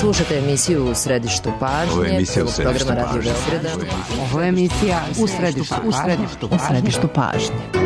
Slušajte emisiju U središtu pažnje. Ovo je emisija U središtu programa Radio pažnje. Beograda. Ovo je emisija U središtu pažnje.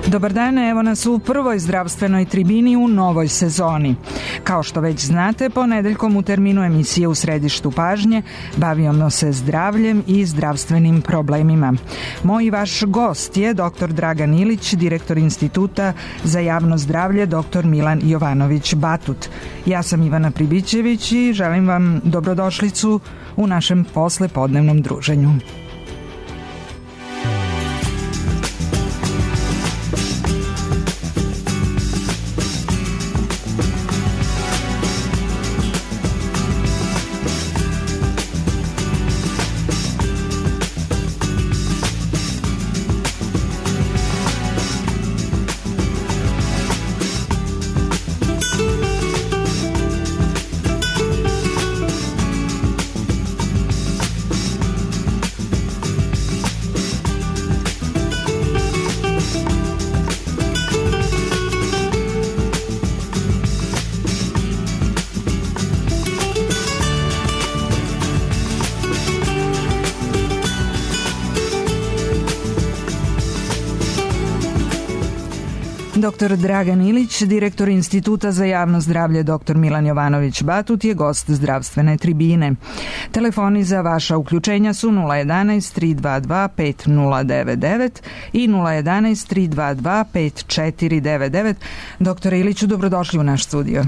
Dobar dan, evo nas u prvoj zdravstvenoj tribini u novoj sezoni. Kao što već znate, ponedeljkom u terminu emisije U središtu pažnje bavimo se zdravljem i zdravstvenim problemima. Moj i vaš gost je dr. Dragan Ilić, direktor Instituta za javno zdravlje dr. Milan Jovanović Batut. Ja sam Ivana Pribićević i želim vam dobrodošlicu u našem poslepodnevnom druženju. Dr. Dragan Ilić, direktor Instituta za javno zdravlje dr. Milan Jovanović Batut je gost zdravstvene tribine. Telefoni za vaša uključenja su 011 322 5099 i 011 322 5499. Dr. Iliću, dobrodošli u naš studio.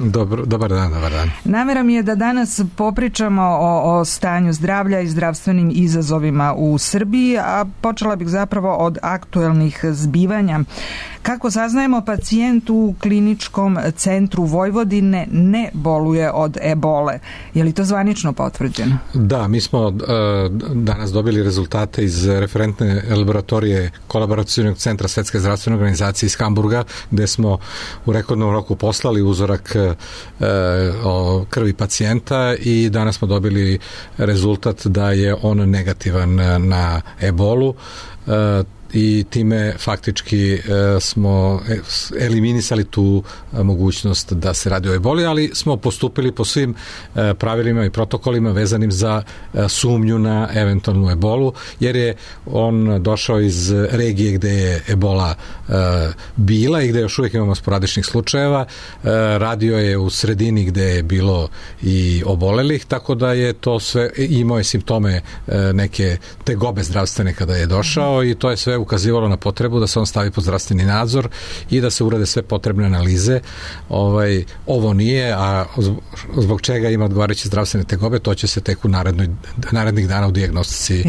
Dobar dan. Namera mi je da danas popričamo o stanju zdravlja i zdravstvenim izazovima u Srbiji, a počela bih zapravo od aktuelnih zbivanja. Kako saznajemo, pacijent u kliničkom centru Vojvodine ne boluje od ebole. Je li to zvanično potvrđeno? Da, mi smo danas dobili rezultate iz referentne laboratorije Kolaboracionog centra Svetske zdravstvene organizacije iz Hamburga, gde smo u rekordnom roku poslali uzorak krvi pacijenta i danas smo dobili rezultat da je on negativan na ebolu. I time faktički smo eliminisali tu mogućnost da se radi o eboli, ali smo postupili po svim pravilima i protokolima vezanim za sumnju na eventualnu ebolu, jer je on došao iz regije gde je ebola bila i gde još uvijek imamo sporadičnih slučajeva. Radio je u sredini gde je bilo i obolelih, tako da je to sve, imao je simptome neke tegobe zdravstvene kada je došao i to je sve ukazivalo na potrebu da se on stavi pod zdravstveni nadzor i da se urade sve potrebne analize. Ovo nije, a zbog čega ima odgovarajuće zdravstvene tegobe, to će se tek u narednih dana u dijagnostici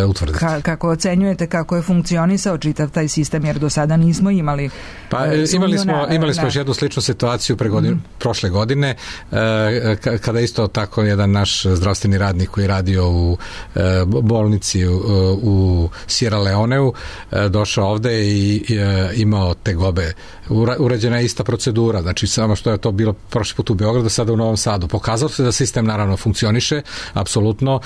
utvrditi. Kako ocenjujete kako je funkcionisao čitav taj sistem, jer do sada nismo imali imali smo još jednu sličnu situaciju prošle godine, kada isto tako jedan naš zdravstveni radnik koji je radio u bolnici u Sierra Leoneu došao ovde i imao tegobe. Urađena je ista procedura, znači samo što je to bilo prošli put u Beogradu, sada u Novom Sadu. Pokazalo se da sistem naravno funkcioniše, apsolutno.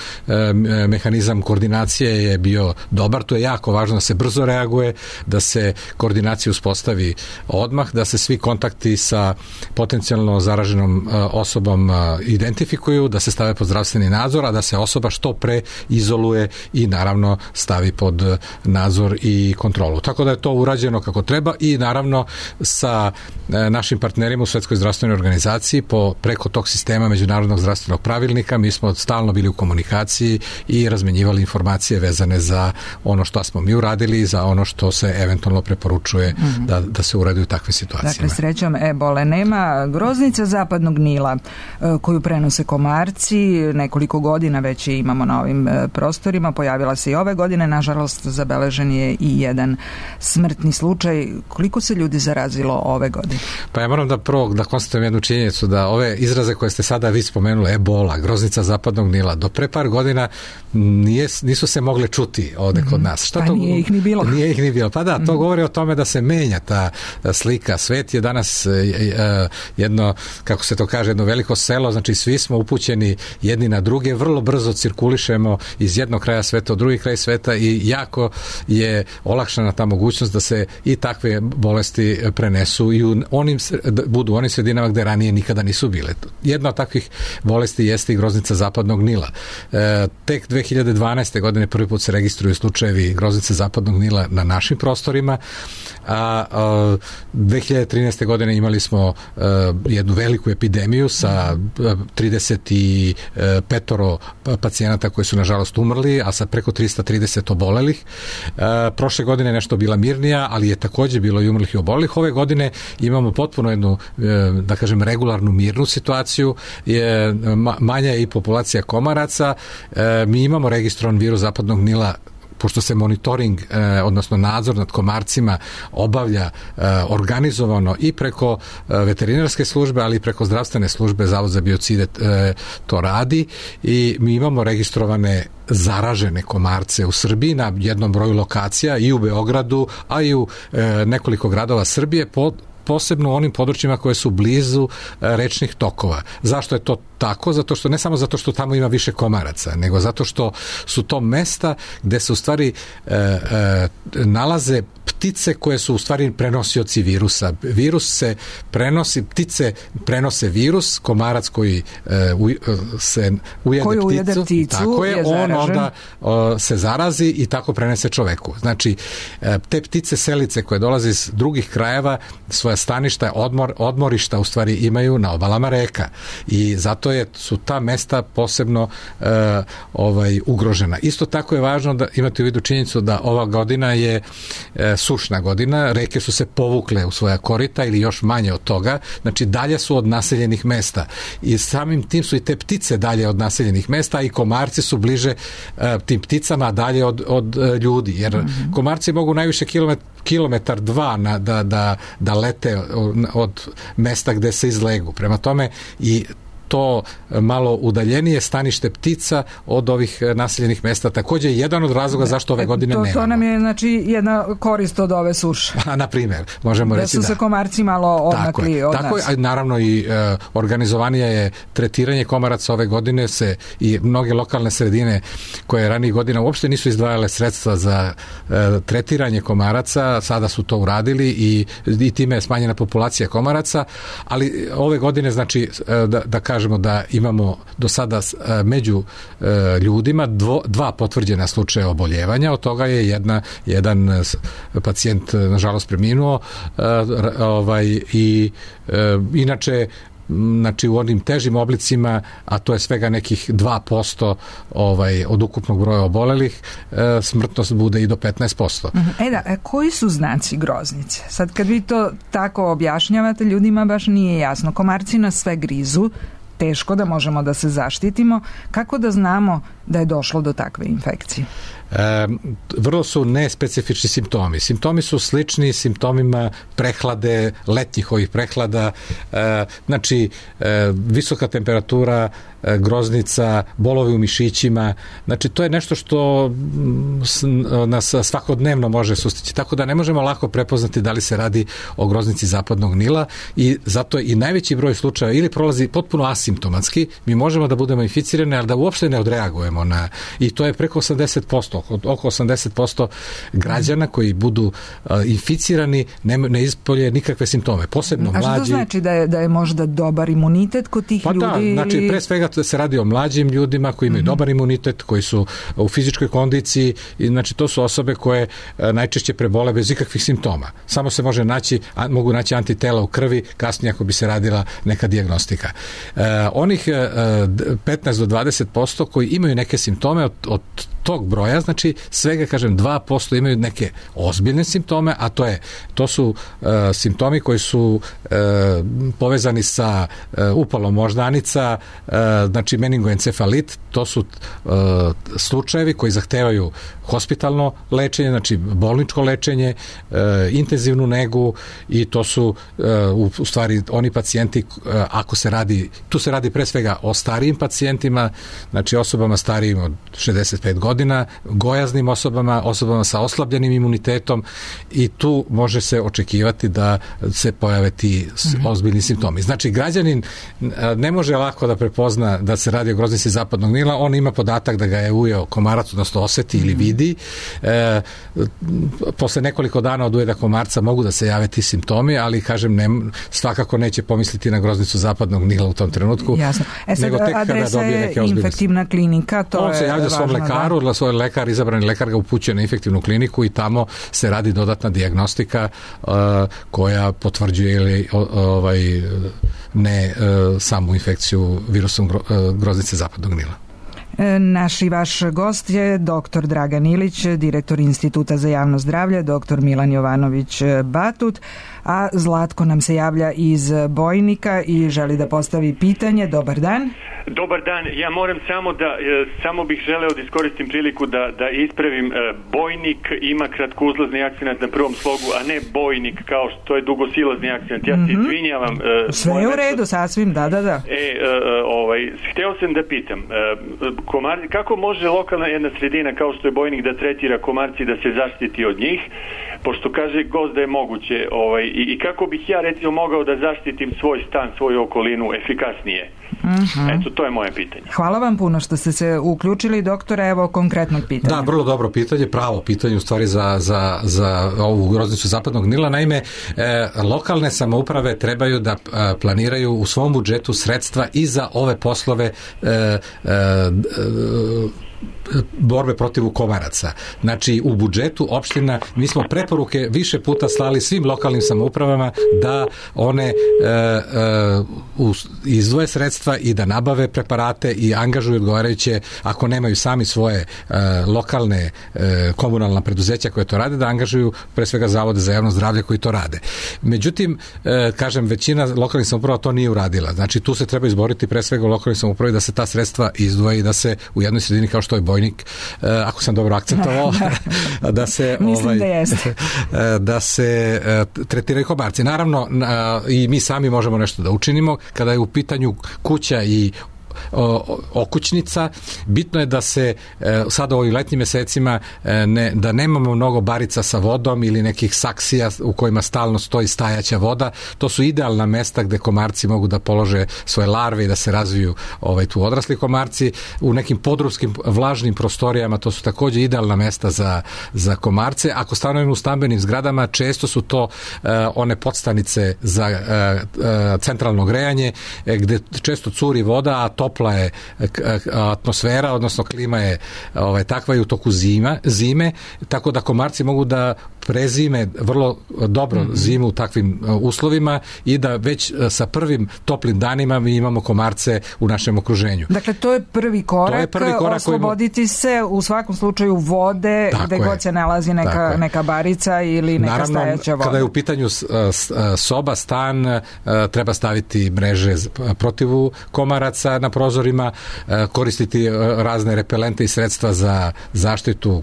Mehanizam koordinacije je bio dobar, to je jako važno da se brzo reaguje, da se koordinacija uspostavi odmah, da se svi kontakti sa potencijalno zaraženom osobom identifikuju, da se stave pod zdravstveni nadzor, a da se osoba što pre izoluje i naravno stavi pod nadzor i kontrolu. Tako da je to urađeno kako treba i naravno sa našim partnerima u Svetskoj zdravstvenoj organizaciji preko tog sistema Međunarodnog zdravstvenog pravilnika mi smo stalno bili u komunikaciji i razmenjivali informacije vezane za ono što smo mi uradili i za ono što se eventualno preporučuje da se uradi u takvim situacijama. Dakle, srećom ebole nema. Groznica zapadnog Nila koju prenose komarci, nekoliko godina već imamo na ovim prostorima, pojavila se i ove godine, nažalost zabeležen je je i jedan smrtni slučaj. Koliko se ljudi zarazilo ove godine? Pa ja moram da konstatujem jednu činjenicu, da ove izraze koje ste sada vi spomenuli, ebola, groznica zapadnog Nila, do pre par godina nisu se mogle čuti ovde kod nas. Šta to, nije ih ni bilo. Nije ih ni bilo. Pa da, to govori o tome da se menja ta slika. Svet je danas jedno, kako se to kaže, jedno veliko selo, znači svi smo upućeni jedni na druge, vrlo brzo cirkulišemo iz jednog kraja sveta u drugi kraj sveta i jako je olakšana ta mogućnost da se i takve bolesti prenesu i budu u onim sredinama gde ranije nikada nisu bile. Jedna od takvih bolesti jeste i groznica zapadnog Nila. Tek 2012. godine prvi put se registruju slučajevi groznice zapadnog Nila na našim prostorima, a 2013. godine imali smo jednu veliku epidemiju sa 35 pacijenata koji su nažalost umrli, a sa preko 330 obolelih. Prošle godine nešto bila mirnija, ali je takođe bilo i umrlih i obolelih. Ove godine imamo potpuno jednu, da kažem, regularnu mirnu situaciju. Manja je i populacija komaraca. Mi imamo registrovan virus zapadnog Nila, pošto se monitoring, odnosno nadzor nad komarcima obavlja organizovano i preko veterinarske službe, ali i preko zdravstvene službe, Zavod za biocide to radi i mi imamo registrovane zaražene komarce u Srbiji na jednom broju lokacija i u Beogradu, a i u nekoliko gradova Srbije, posebno u onim područjima koje su blizu rečnih tokova. Zašto je to tako? Zato što, ne samo zato što tamo ima više komaraca, nego zato što su to mesta gde se u stvari nalaze ptice koje su u stvari prenosioci virusa. Virus se prenosi, ptice prenose virus, komarac koji se ujede pticu, tako je, on onda se zarazi i tako prenese čoveku. Znači, te ptice selice koje dolaze iz drugih krajeva svoja staništa, odmorišta u stvari imaju na obalama reka i zato su ta mesta posebno ugrožena. Isto tako je važno da imate u vidu činjenicu da ova godina je sušna godina, reke su se povukle u svoja korita ili još manje od toga, znači dalje su od naseljenih mesta i samim tim su i te ptice dalje od naseljenih mesta i komarci su bliže tim pticama, a dalje od ljudi, jer komarci mogu najviše kilometar dva da lete od mesta gde se izlegu. Prema tome i to malo udaljenije stanište ptica od ovih naseljenih mesta takođe je jedan od razloga zašto ove godine nemamo. To nam je znači jedna korist od ove suše. Na primjer, možemo reći da. Da su se komarci malo odmakli od nas. Tako je, naravno i organizovanije je tretiranje komaraca ove godine i mnoge lokalne sredine koje ranijih godina uopšte nisu izdvajale sredstva za tretiranje komaraca, sada su to uradili i time je smanjena populacija komaraca, ali ove godine znači da kažemo da imamo do sada među ljudima dva potvrđena slučaja oboljevanja, od toga je jedan pacijent nažalost preminuo i inače znači u onim težim oblicima, a to je svega nekih 2% od ukupnog broja obolelih, smrtnost bude i do 15%. Koji su znaci groznice? Sad kad vi to tako objašnjavate, ljudima baš nije jasno. Komarci nas sve grizu, teško da možemo da se zaštitimo. Kako da znamo da je došlo do takve infekcije? Vrlo su nespecifični simptomi. Simptomi su slični simptomima prehlade, letnjih ovih prehlada, znači visoka temperatura, groznica, bolovi u mišićima, znači to je nešto što nas svakodnevno može sustići, tako da ne možemo lako prepoznati da li se radi o groznici zapadnog Nila i zato i najveći broj slučaja ili prolazi potpuno asimptomatski, mi možemo da budemo inficirani, ali da uopšte ne odreagujemo i to je preko 80%, oko 80% građana koji budu inficirani ne ispolje nikakve simptome, posebno mlađi. A što to znači da je možda dobar imunitet kod tih ljudi? Pa da, znači pre svega se radi o mlađim ljudima koji imaju dobar imunitet, koji su u fizičkoj kondiciji i znači to su osobe koje najčešće prebole bez ikakvih simptoma. Samo se mogu naći antitela u krvi kasnije ako bi se radila neka dijagnostika. Onih 15 do 20% koji imaju neke simptome od tog broja, znači svega, kažem, 2% imaju neke ozbiljne simptome, a to su simptomi koji su povezani sa upalom moždanica, znači meningoencefalit, to su slučajevi koji zahtevaju hospitalno lečenje, znači bolničko lečenje, intenzivnu negu, i to su u stvari oni pacijenti, ako se radi, tu se radi pre svega o starijim pacijentima, znači osobama starijim od 65 godina, gojaznim osobama sa oslabljenim imunitetom, i tu može se očekivati da se pojave ti ozbiljni simptomi. Znači, građanin ne može lako da prepozna da se radi o groznici zapadnog Nila, on ima podatak da ga je ujeo komarac, odnosno oseti ili vidi. Posle nekoliko dana od ujeda komarca mogu da se jave ti simptomi, ali, kažem, svakako neće pomisliti na groznicu zapadnog Nila u tom trenutku. Jasno. Nego tek kada dobije neke ozbiljnosti. Infektivna klinika, to on je važno. On se javlja svom lekaru, svoj lekar, izabrani lekar ga upućuje na infektivnu kliniku i tamo se radi dodatna dijagnostika koja potvrđuje ili ne samu infekciju virusom groznice zapadnog Nila. Naš i vaš gost je dr. Dragan Ilić, direktor Instituta za javno zdravlje, dr. Milan Jovanović Batut, a Zlatko nam se javlja iz Bojnika i želi da postavi pitanje. Dobar dan. Dobar dan. Ja moram samo bih želeo da iskoristim priliku da ispravim. Bojnik ima kratkouzlazni akcenat na prvom slogu, a ne bojnik kao što je dugosilazni akcenat. Ja se izvinjavam. Sve je u redu, sasvim, da. Hteo sam da pitam, kako može lokalna jedna sredina kao što je Bojnik da tretira komarci, da se zaštiti od njih, pošto kaže gost da je moguće, i kako bih ja recimo mogao da zaštitim svoj stan, svoju okolinu efikasnije? Eto, to je moje pitanje. Hvala vam puno što ste se uključili, doktore. Evo konkretnog pitanja. Da, vrlo dobro pitanje, pravo pitanje u stvari za ovu groznicu zapadnog Nila. Naime, lokalne samouprave trebaju da planiraju u svom budžetu sredstva i za ove poslove borbe protiv komaraca. Znači, u budžetu opština, mi smo preporuke više puta slali svim lokalnim samoupravama da one izdvoje sredstva i da nabave preparate i angažuju odgovarajuće, ako nemaju sami svoje lokalne komunalna preduzeća koje to rade, da angažuju pre svega zavode za javno zdravlje koji to rade. Međutim, kažem, većina lokalnih samouprava to nije uradila. Znači, tu se treba izboriti pre svega u lokalnih samoupravi da se ta sredstva izdvoje i da se u jednoj sredini kao što je Bojnik, ako sam dobro akcentovao, da se da se tretiraju komarci. Naravno, i mi sami možemo nešto da učinimo kada je u pitanju kuća i okućnica. Bitno je da se sada u ovim letnjim mesecima da nemamo mnogo barica sa vodom ili nekih saksija u kojima stalno stoji stajaća voda. To su idealna mesta gde komarci mogu da polože svoje larve i da se razviju tu odrasli komarci. U nekim podrumskim vlažnim prostorijama to su takođe idealna mesta za komarce. Ako stanujemo u stambenim zgradama, često su to one podstanice za centralno grejanje gde često curi voda, a topla je atmosfera, odnosno klima je takva i u toku zime, tako da komarci mogu da prezime vrlo dobro zimu u takvim uslovima i da već sa prvim toplim danima mi imamo komarce u našem okruženju. Dakle, to je prvi korak, osloboditi se u svakom slučaju vode, gde god se nalazi neka barica ili neka stajaća voda. Kada je u pitanju soba, stan, treba staviti mreže protiv komaraca na prozorima, koristiti razne repelente i sredstva za zaštitu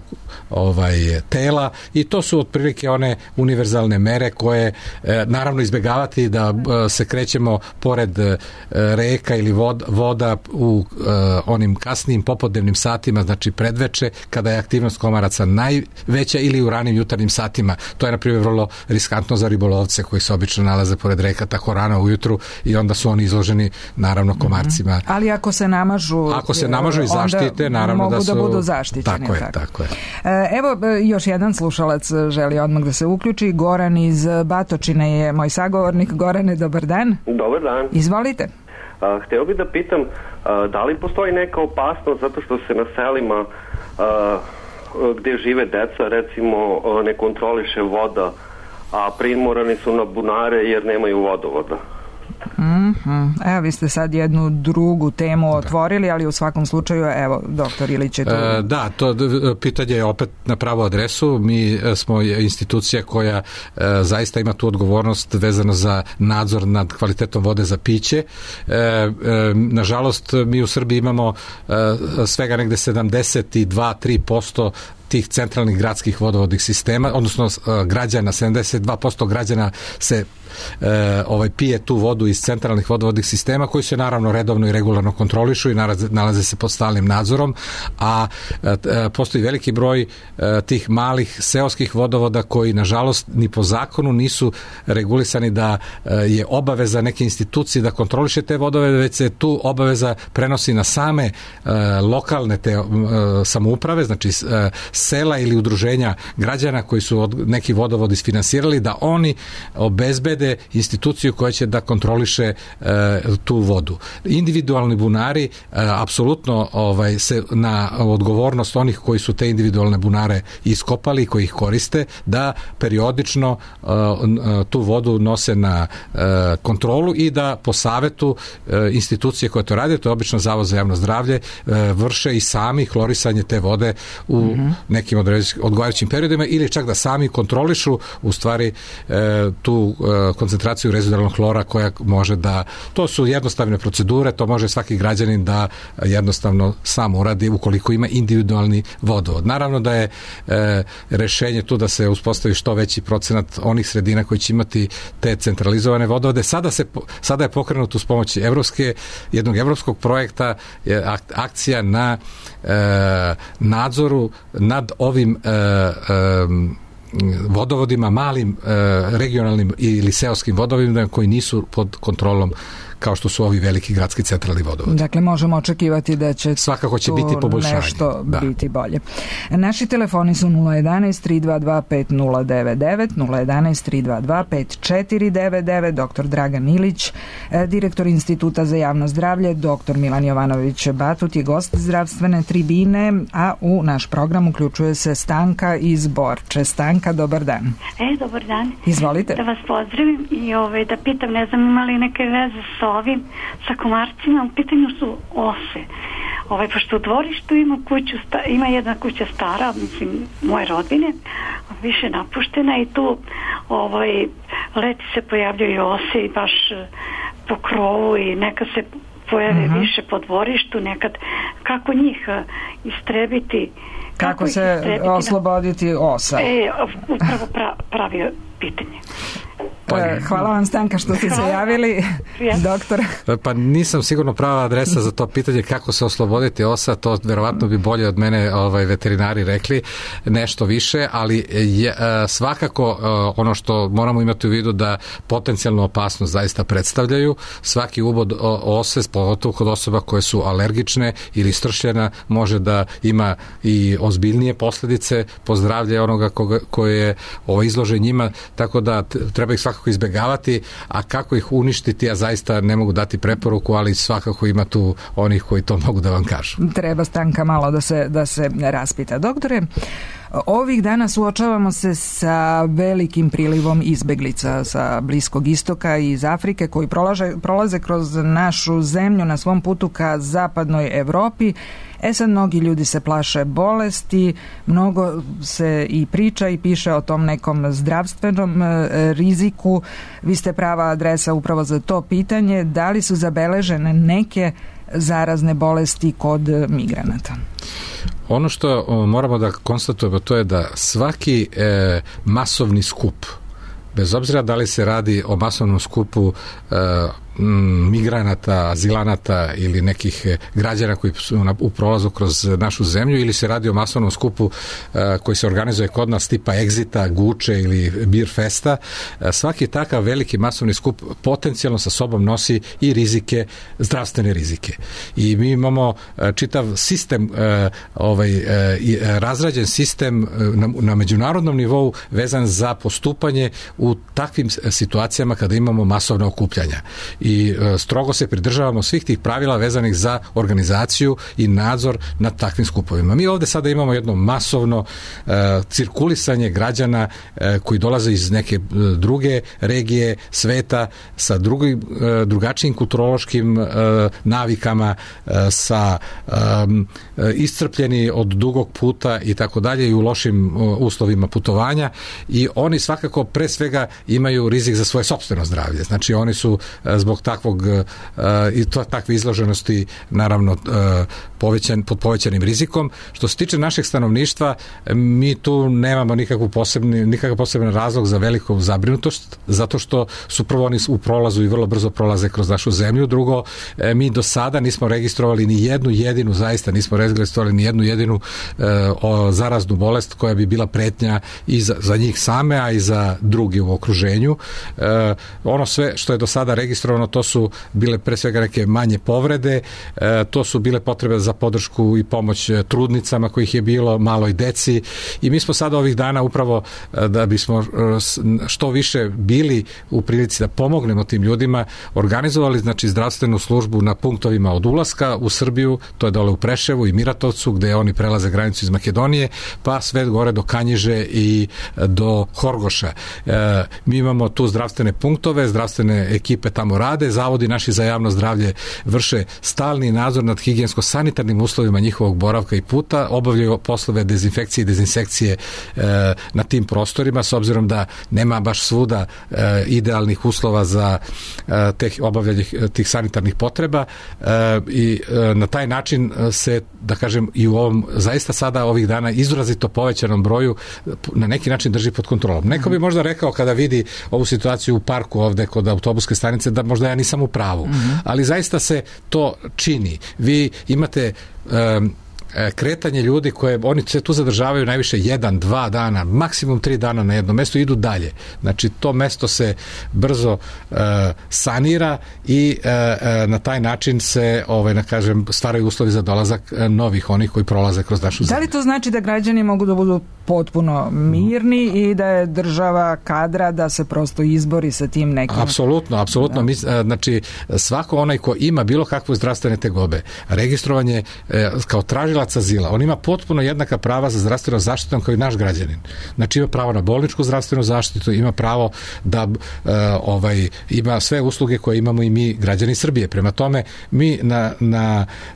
tela, i to su otprilike one univerzalne mere koje naravno izbegavati da se krećemo pored reka ili voda u onim kasnijim popodnevnim satima, znači predveče, kada je aktivnost komaraca najveća, ili u ranim jutarnjim satima. To je na primjer vrlo riskantno za ribolovce koji se obično nalaze pored reka tako rano ujutru i onda su oni izloženi naravno komarcima. Ali ako se namažu i zaštite, naravno mogu da budu zaštićeni. Tako je. Evo, još jedan slušalac želi odmah da se uključi. Goran iz Batočine je moj sagovornik. Gorane, dobar dan. Dobar dan. Izvolite. Hteo bih da pitam, da li postoji neka opasnost zato što se na selima gde žive deca, recimo, ne kontroliše voda, a primorani su na bunare jer nemaju vodovoda? Evo, vi ste sad jednu drugu temu otvorili, ali u svakom slučaju, evo, doktor Ilić je tu. Da, to pitanje je opet na pravu adresu. Mi smo institucija koja zaista ima tu odgovornost vezano za nadzor nad kvalitetom vode za piće. Nažalost, mi u Srbiji imamo svega negde 72-3% tih centralnih gradskih vodovodnih sistema, odnosno građana, 72% građana se pije tu vodu iz centralnih vodovodnih sistema koji se naravno redovno i regularno kontrolišu i nalaze se pod stalnim nadzorom, a postoji veliki broj tih malih seoskih vodovoda koji nažalost ni po zakonu nisu regulisani da je obaveza neke institucije da kontroliše te vodove, već se tu obaveza prenosi na same lokalne te samouprave, znači sela ili udruženja građana koji su neki vodovod isfinansirali, da oni obezbede instituciju koja će da kontroliše tu vodu. Individualni bunari apsolutno se na odgovornost onih koji su te individualne bunare iskopali i koji ih koriste, da periodično tu vodu nose na kontrolu i da po savetu institucije koje to rade, to je obično Zavod za javno zdravlje, vrše i sami hlorisanje te vode u nekim odgovarajućim periodima ili čak da sami kontrolišu u stvari tu koncentraciju rezidualnog hlora koja može da, to su jednostavne procedure, to može svaki građanin da jednostavno sam uradi ukoliko ima individualni vodovod. Naravno da je rešenje tu da se uspostavi što veći procenat onih sredina koji će imati te centralizovane vodovode. Sada je pokrenut uz pomoć jednog evropskog projekta akcija na nadzoru nad ovim vodovodima, malim regionalnim ili seoskim vodovodima koji nisu pod kontrolom kao što su ovi veliki gradski centralni vodovodi. Dakle, možemo očekivati da će svakako će biti poboljšanje. Nešto biti bolje. Naši telefoni su 011-322-5099, 011-322-5499, dr. Dragan Ilić, direktor Instituta za javno zdravlje, dr. Milan Jovanović Batut je gost zdravstvene tribine, a u naš program uključuje se Stanka iz Borče. Stanka, dobar dan. Dobar dan. Izvolite. Da vas pozdravim i da pitam, ne znam, ima li neke veze sa komarcima, u pitanju su ose. Pošto u dvorištu ima jedna kuća stara, mislim, moje rodbine, više napuštena i tu leti se pojavljaju ose i baš po krovu i nekad se pojave više po dvorištu, nekad kako njih istrebiti, kako se osloboditi osa. Upravo pravi pitanje. Hvala vam, Stanka, što ste se javili, doktor. Pa nisam sigurno prava adresa za to pitanje kako se osloboditi osa, to verovatno bi bolje od mene veterinari rekli nešto više, ali svakako ono što moramo imati u vidu da potencijalnu opasnost zaista predstavljaju. Svaki ubod ose, pogotovo kod osoba koje su alergične ili istršljena, može da ima i ozbiljnije posledice po zdravlje onoga koje je izložen njima, tako da treba ih svakako izbegavati, a kako ih uništiti, ja zaista ne mogu dati preporuku, ali svakako ima tu onih koji to mogu da vam kažu. Treba Stanka malo da se raspita. Doktore, ovih dana suočavamo se sa velikim prilivom izbeglica sa Bliskog istoka i iz Afrike koji prolaze kroz našu zemlju na svom putu ka zapadnoj Evropi. Sad mnogi ljudi se plaše bolesti, mnogo se i priča i piše o tom nekom zdravstvenom riziku. Vi ste prava adresa upravo za to pitanje. Da li su zabeležene neke zarazne bolesti kod migranata? Ono što moramo da konstatujemo, to je da svaki masovni skup, bez obzira da li se radi o masovnom skupu migranata, azilanata ili nekih građana koji su u prolazu kroz našu zemlju, ili se radi o masovnom skupu koji se organizuje kod nas tipa Exita, Guče ili Beer Festa, svaki takav veliki masovni skup potencijalno sa sobom nosi i rizike, zdravstvene rizike. I mi imamo čitav sistem, razrađen sistem na međunarodnom nivou vezan za postupanje u takvim situacijama kada imamo masovna okupljanja. i strogo se pridržavamo svih tih pravila vezanih za organizaciju i nadzor nad takvim skupovima. Mi ovde sada imamo jedno masovno cirkulisanje građana koji dolaze iz neke druge regije sveta sa drugačijim kulturološkim navikama, sa iscrpljeni od dugog puta i tako dalje i u lošim uslovima putovanja, i oni svakako pre svega imaju rizik za svoje sopstveno zdravlje. Znači oni su zbog takve izloženosti naravno pod povećanim rizikom. Što se tiče našeg stanovništva, mi tu nemamo nikakav poseban razlog za veliku zabrinutost, zato što su prvo oni u prolazu i vrlo brzo prolaze kroz našu zemlju. Drugo, mi do sada nismo registrovali ni jednu jedinu zaraznu bolest koja bi bila pretnja i za njih same, a i za drugi u okruženju. Ono sve što je do sada registrovano, to su bile pre svega neke manje povrede, to su bile potrebe za podršku i pomoć trudnicama kojih je bilo, maloj deci, i mi smo sada ovih dana upravo da bismo što više bili u prilici da pomognemo tim ljudima, organizovali znači zdravstvenu službu na punktovima od ulaska u Srbiju, to je dole u Preševu i Miratovcu, gde oni prelaze granicu iz Makedonije, pa sve gore do Kanjiže i do Horgoša. Mi imamo tu zdravstvene punktove, zdravstvene ekipe tamo rade, zavodi naši za javno zdravlje vrše stalni nadzor nad higijensko-sanitarnim uslovima njihovog boravka i puta, obavljaju poslove dezinfekcije i dezinsekcije na tim prostorima, s obzirom da nema baš svuda idealnih uslova za obavljanje tih sanitarnih potreba, i na taj način se, da kažem, i u ovom zaista sada ovih dana izrazito povećanom broju na neki način drži pod kontrolom. Neko bi možda rekao kada vidi ovu situaciju u parku ovde kod autobuske stanice da možda ja nisam u pravu, ali zaista se to čini. Vi imate kretanje ljudi koje oni se tu zadržavaju najviše 1-2 dana, maksimum 3 dana na jednom mestu, idu dalje. Znači to mesto se brzo sanira i na taj način se stvaraju uslovi za dolazak novih onih koji prolaze kroz našu zemlju. Da li to znači da građani mogu da budu potpuno mirni i da je država kadra da se prosto izbori sa tim nekim? Apsolutno. Znači svako onaj ko ima bilo kakve zdravstvene tegobe, registrovanje kao tražilac azila, on ima potpuno jednaka prava za zdravstvenu zaštitu kao i naš građanin. Znači ima pravo na bolničku zdravstvenu zaštitu, ima pravo da ima sve usluge koje imamo i mi građani Srbije. Prema tome, mi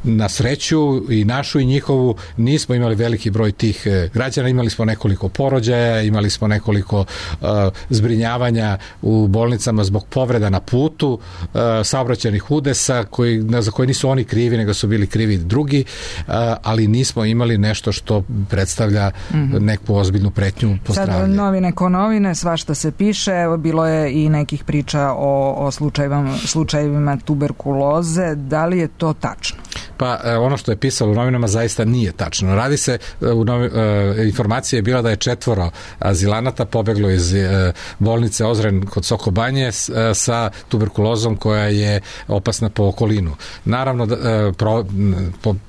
na sreću i našu i njihovu nismo imali veliki broj tih građana, imali smo nekoliko porođaja, imali smo nekoliko zbrinjavanja u bolnicama zbog povreda na putu, saobraćajnih udesa za koje nisu oni krivi, nego su bili krivi drugi, ali nismo imali nešto što predstavlja neku ozbiljnu pretnju po zdravlje. Sad novine ko novine, svašta se piše, evo bilo je i nekih priča o slučajevima tuberkuloze, da li je to tačno? Pa ono što je pisalo u novinama zaista nije tačno. Radi se, informacija je bila da je 4 azilanata pobeglo iz bolnice Ozren kod Sokobanje sa tuberkulozom koja je opasna po okolinu. Naravno,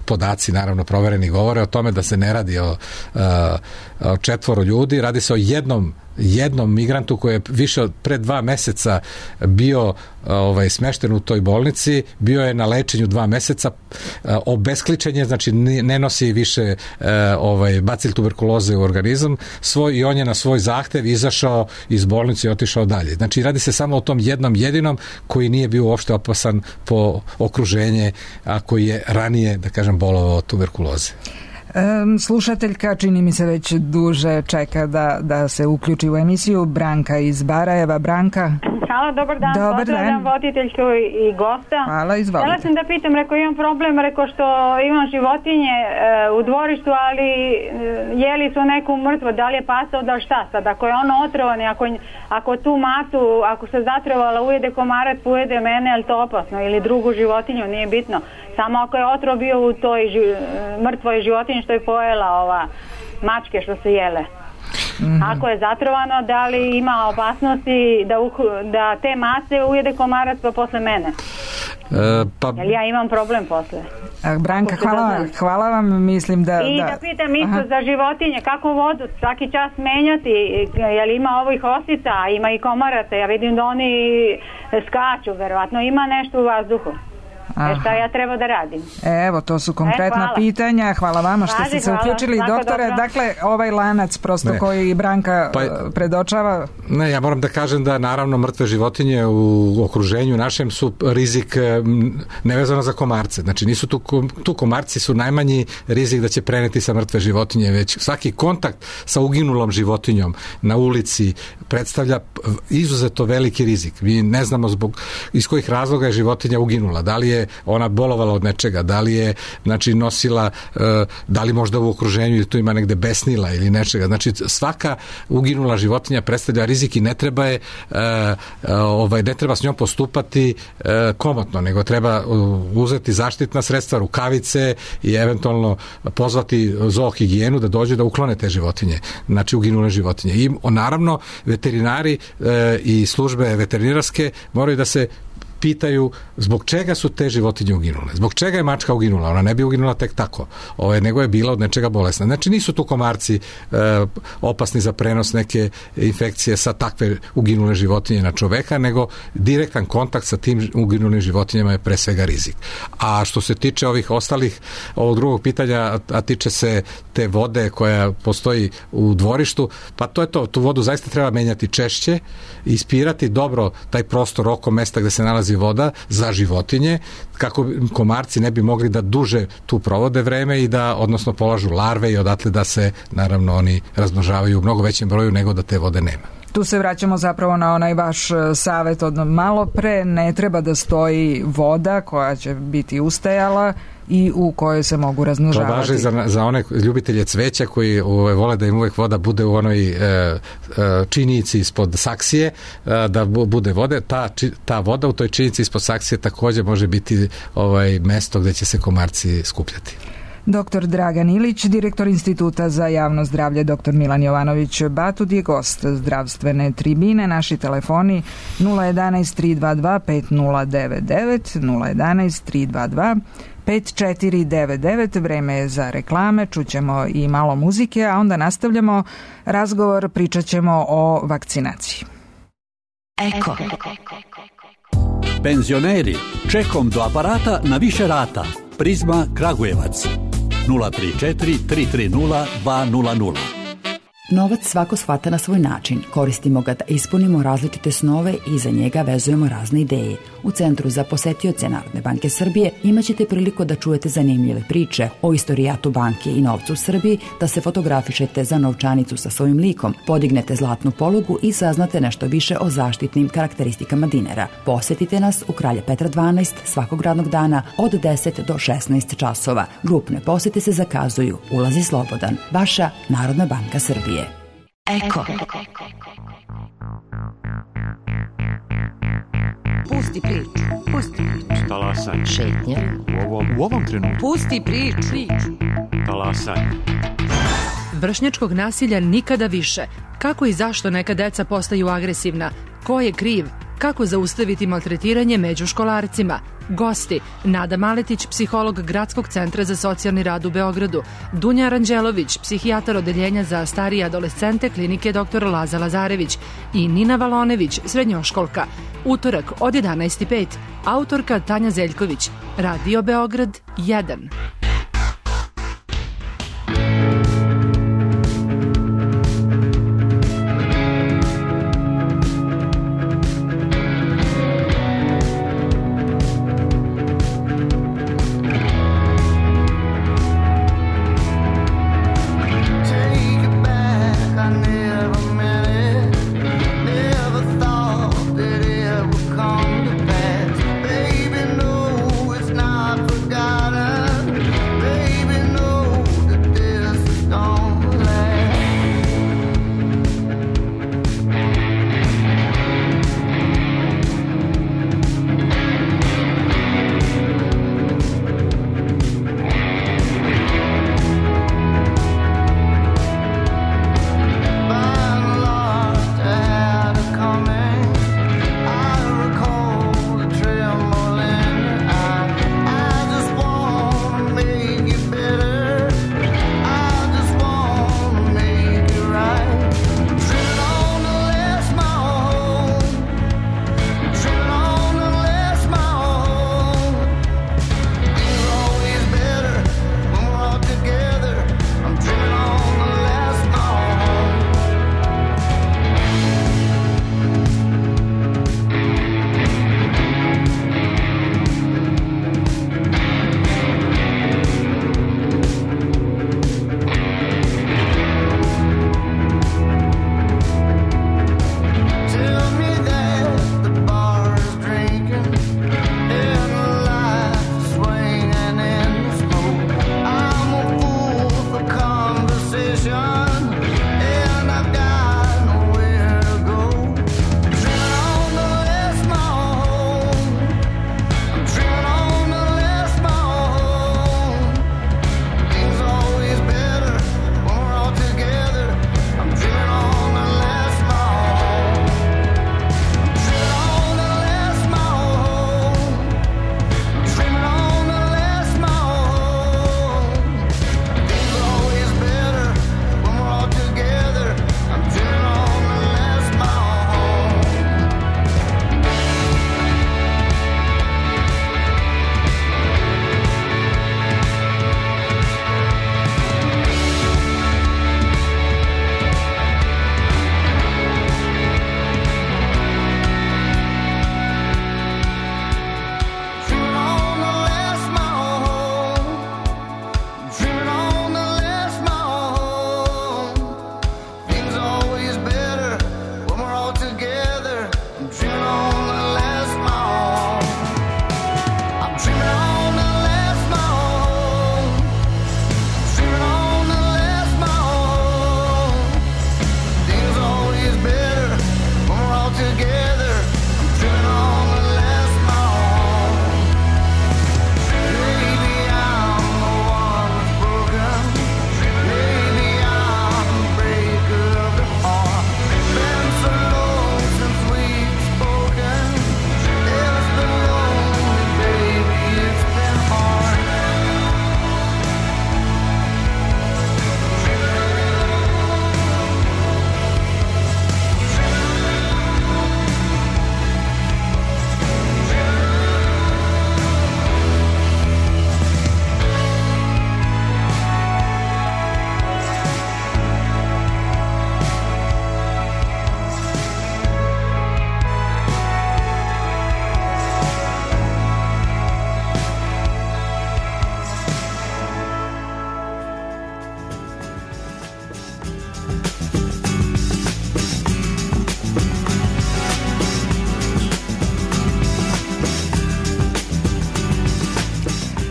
podaci naravno provereni govore o tome da se ne radi o 4 ljudi, radi se o jednom migrantu koji je više od pre 2 meseca bio smešten u toj bolnici, bio je na lečenju 2 meseca, obeskličen je, znači ne nosi više bacil tuberkuloze u organizam svoj i on je na svoj zahtev izašao iz bolnice i otišao dalje. Znači radi se samo o tom jednom jedinom koji nije bio uopšte opasan po okruženje, a koji je ranije, da kažem, bolovao od tuberkuloze. Slušateljka, čini mi se već duže čeka da se uključi u emisiju, Branka iz Barajeva. Branka? Halo, dobar dan. Pozdravljam voditeljku i gosta. Hvala, izvolite. Htjela sam da pitam, imam problem, što imam životinje u dvorištu, ali jeli su neku mrtvo, da li je pasao, da šta sad, ako je ono otrovan, ako tu matu, ako se zatrovala, ujede komarac, ujede mene, je li to opasno, ili drugu životinju, nije bitno. Samo ako je otrov bio u toj mrtvoj životinji što je pojela mačke što se jele. Ako je zatrovano, da li ima opasnosti da te mase ujede komarac pa posle mene? Jer ja imam problem posle. Branka, hvala vam, mislim da... I da pitam isto za životinje, kako vodu svaki čas menjati, jer ima ovih osica, ima i komaraca, ja vidim da oni skaču, verovatno ima nešto u vazduhu. Šta ja treba da radim? Evo, to su konkretna pitanja. Hvala vama što ste se uključili, doktore. Dakle, ovaj lanac prosto koji Branka predočava. Ne, ja moram da kažem da naravno mrtve životinje u okruženju našem su rizik nevezano za komarce. Znači nisu tu komarci su najmanji rizik da će preneti sa mrtve životinje, već svaki kontakt sa uginulom životinjom na ulici predstavlja izuzetno veliki rizik. Mi ne znamo iz kojih razloga je životinja uginula. Da li je ona bolovala od nečega, da li je nosila, da li možda u okruženju ili tu ima negde besnila ili nečega. Znači svaka uginula životinja predstavlja rizik i ne treba ne treba s njom postupati komotno, nego treba uzeti zaštitna sredstva, rukavice i eventualno pozvati zoohigijenu da dođe da uklone te životinje, znači uginule životinje. I naravno veterinari i službe veterinarske moraju da se pitaju zbog čega su te životinje uginule. Zbog čega je mačka uginula? Ona ne bi uginula tek tako, nego je bila od nečega bolesna. Znači nisu tu komarci opasni za prenos neke infekcije sa takve uginule životinje na čoveka, nego direktan kontakt sa tim uginulim životinjama je pre svega rizik. A što se tiče ovog drugog pitanja, a tiče se te vode koja postoji u dvorištu, pa to je to. Tu vodu zaista treba menjati češće, ispirati dobro taj prostor oko mesta gde se nalazi voda za životinje, kako komarci ne bi mogli da duže tu provode vreme i da, odnosno polažu larve i odatle da se, naravno, oni razmnožavaju u mnogo većem broju nego da te vode nema. Tu se vraćamo zapravo na onaj vaš savjet od malo pre, ne treba da stoji voda koja će biti ustajala i u kojoj se mogu razmnožavati. To važi za one ljubitelje cveća koji vole da im uvek voda bude u onoj činjici ispod saksije, da bude vode. Ta voda u toj činjici ispod saksije također može biti mesto gde će se komarci skupljati. Dr. Dragan Ilić, direktor Instituta za javno zdravlje, dr. Milan Jovanović Batud je gost zdravstvene tribine. Naši telefoni 011 322 5099, 011 322 5499. Vreme je za reklame, čućemo i malo muzike, a onda nastavljamo razgovor, pričat ćemo o vakcinaciji. Eko. Penzioneri, čekom do aparata na više rata. Prizma Kragujevac 034 330 200. Novac svako shvata na svoj način. Koristimo ga da ispunimo različite snove i za njega vezujemo razne ideje. U Centru za posetioce Narodne banke Srbije imaćete priliku da čujete zanimljive priče o istorijatu banke i novcu u Srbiji, da se fotografišete za novčanicu sa svojim likom, podignete zlatnu polugu i saznate nešto više o zaštitnim karakteristikama dinara. Posetite nas u Kralja Petra 12 svakog radnog dana od 10 do 16 časova. Grupne posete se zakazuju. Ulaz je slobodan. Vaša Narodna banka Srbije. Eko. Pusti priču. Talasanje. Šetnja. U ovom trenutku. Pusti priču. Talasanje. Vršnjačkog nasilja nikada više. Kako i zašto neka deca postaju agresivna? Ko je kriv? Kako zaustaviti maltretiranje među školarcima? Gosti: Nada Maletić, psiholog Gradskog centra za socijalni rad u Beogradu, Dunja Aranđelović, psihijatar odeljenja za starije adolescente klinike dr. Laza Lazarević i Nina Valonević, srednjoškolka. Utorak od 11:05. Autorka Tanja Zeljković. Radio Beograd 1. Baby, no, it's not forgotten.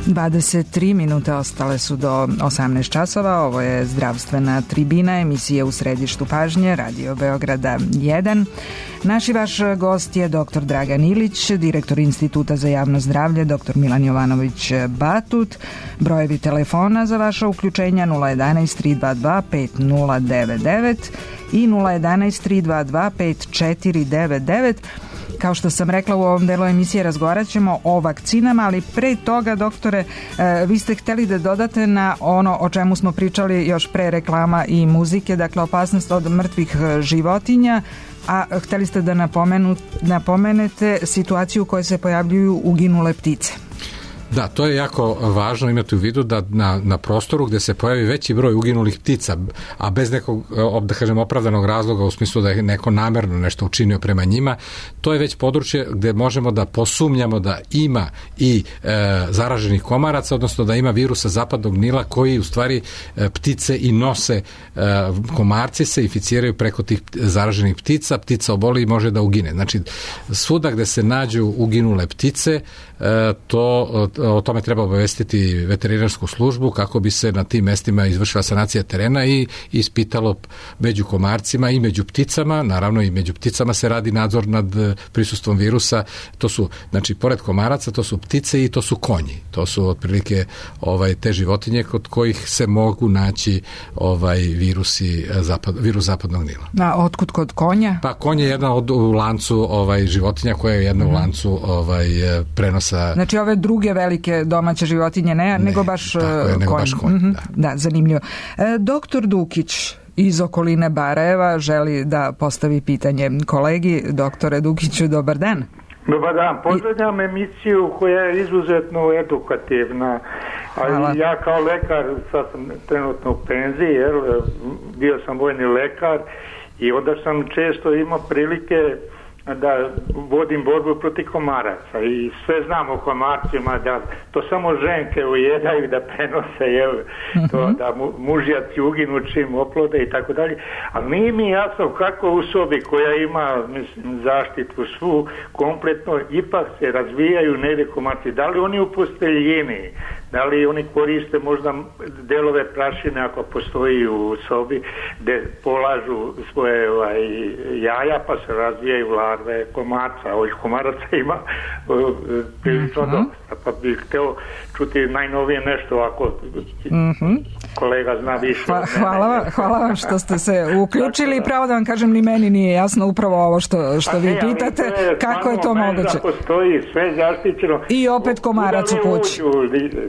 23 minute ostale su do 18 časova. Ovo je zdravstvena tribina, emisije u središtu pažnje, Radio Beograda 1. Naš i vaš gost je dr. Dragan Ilić, direktor Instituta za javno zdravlje, dr. Milan Jovanović Batut. Brojevi telefona za vaša uključenja 011 322 5099 i 011 322 5499. Kao što sam rekla, u ovom delu emisije razgovarat ćemo o vakcinama, ali pre toga, doktore, vi ste hteli da dodate na ono o čemu smo pričali još pre reklama i muzike, dakle opasnost od mrtvih životinja, a hteli ste da napomenete situaciju u kojoj se pojavljuju uginule ptice. Da, to je jako važno imati u vidu da na prostoru gde se pojavi veći broj uginulih ptica, a bez nekog, da kažem, opravdanog razloga u smislu da je neko namerno nešto učinio prema njima, to je već područje gde možemo da posumnjamo da ima i zaraženih komaraca, odnosno da ima virusa zapadnog Nila koji u stvari ptice i nose. Komarci se inficiraju preko tih zaraženih ptica, ptica oboli i može da ugine. Znači, svuda gde se nađu uginule ptice, o tome treba obavestiti veterinarsku službu kako bi se na tim mestima izvršila sanacija terena i ispitalo među komarcima i među pticama. Naravno i među pticama se radi nadzor nad prisustvom virusa. To su, znači, pored komaraca, to su ptice i to su konji. To su otprilike te životinje kod kojih se mogu naći virus zapadnog Nila. A otkud kod konja? Pa konj je jedna u lancu životinja koja je jedna u lancu prenosa. Znači ove druge velike domaće životinje nego baš konj. Da, zanimljivo. Doktor Dukić iz okoline Barajeva želi da postavi pitanje kolegi. Doktore Dukiću, dobar dan. Dobar dan, pozdravljam emisiju koja je izuzetno edukativna. Ali ja kao lekar, sad sam trenutno u penziji, bio sam vojni lekar i onda sam često imao prilike da vodim borbu protiv komaraca i sve znam o komarcima, da to samo ženke ujedaju da prenose, to da mužjaci uginu čim oplode i tako dalje, ali nije mi jasno kako u sobi koja ima, mislim, zaštitu svu kompletno, ipak se razvijaju negdje komarci. Da li oni u posteljini, da li oni koriste možda delove prašine ako postoji u sobi gde polažu svoje jaja pa se razvijaju larve komarca. Ovih komaraca ima prilično dosta, pa bih hteo čuti najnovije nešto ako kolega zna više. Hvala vam što ste se uključili. Pravo da vam kažem, ni meni nije jasno upravo ovo što vi pitate, kako je to moguće. Postoji sve zaštićeno. I opet komarac u kući.